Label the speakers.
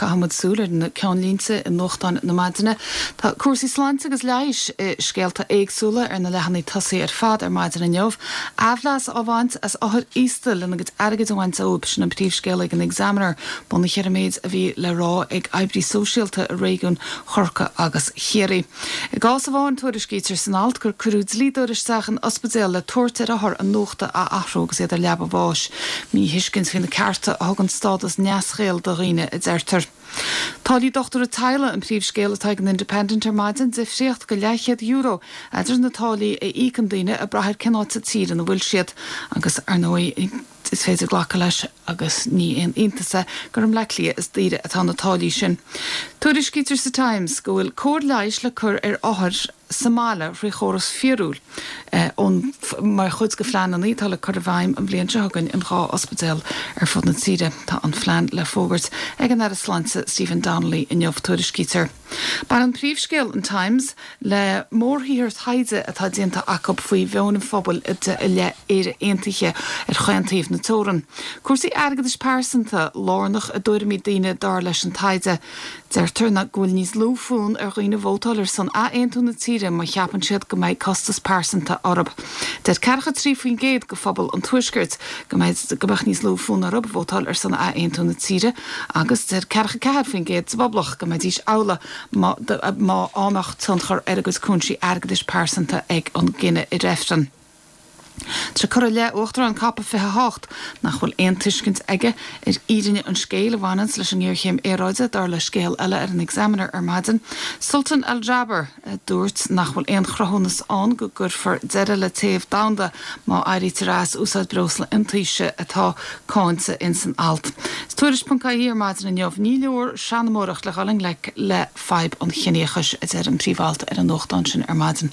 Speaker 1: Caithfidh muid súil ar na ceannlínte i nuachtáin na maidine. Tá cúrsaí sláinte agus leighis i scéalta éagsúla ar na leathanaigh tosaigh ar fad ar maidin inniu. Aimhleas á bhaint as othair aosta lena gcuid airgid a bhaint dóibh, sin an príomhscéal ag an Examiner, bunaithe ar an méid a bhí le rá ag oibrí sóisialta i réigiún Chorcaí agus Chiarraí. I gcás amháin, tuairiscítear san alt gur cuireadh dlíodóir isteach in ospidéal le tabhairt ar othar a nochtadh a athrú agus iad ar leaba bháis. Míthuiscint faoi na cearta a thugann stádas neasghaoil do dhaoine, a deirtear. Táillí dochtúra teaghlaigh an príomhscéal atá ag an Independent ar maidin, difríocht de leathchéad euro eadar na táillí a íocann daoine ag brath ar cén áit sa tír ina bhfuil siad agus, ar ndóigh, Is féidir glacadh leis, agus ní aon iontas é, gur i mBleá Cliath is daoire atá na táillí sin. Tuairiscítear sa Times go bhfuil cóir leighis le cur ar othair sa mbaile thrí chóras fíorúil ón mar chuid de phleananna atá le cur i bhfeidhm an bhliain seo chugainn in 2 ospidéal ar fud na tíre. Tá an phlean le fógairt ag an Aire Sláinte Stephen Donnelly inniu, tuairiscítear. Baineann príomhscéal an Times le mórshaothar taighde atá déanta acu faoi mheon an phobail i leith Éire Aontaithe ar chaon taobh na teorann. Cúrsaí airgeadais pearsanta lárnach i dtuairimí daoine dar leis an taighde. Deirtear go bhfuil níos lú fonn ar dhaoine vótáil ar son athaontú na tíre má cheapann siad go mbeidh costas pearsanta orthu. Deir 43% de phobal an Tuaiscirt go mbeadh níos lú fonn orthu vótáil ar son athaontú na tíre agus deir 44% sa bPoblacht go mbeidís amhlaidh má mbeadh tionchar ar a gcuid cúinsí airgeadais pearsanta ag an gcinneadh i reifreann. Tá sé curtha i leith Uachtarán Cop 28 nach bhfuil aon tuiscint aige ar fhírinne an scéil a bhaineanns leis an ngéarchéim aeráide, dar le scéal eile ar an Examiner ar maidin. Sultan Al Jaber. a dúirt nach bhfuil aon chruthúnas ann go gcuirfear deireadh le téamh domhanda má éirítear as úsáid breosla iontaise atá cáinte ins an alt. Is Tuairisc.ie ar maidin inniu, ní leor seanmóireacht le dhul i ngleic le fadhb an chiníochais, a deir an príomh-alt ar an nuachtán sin ar maidin.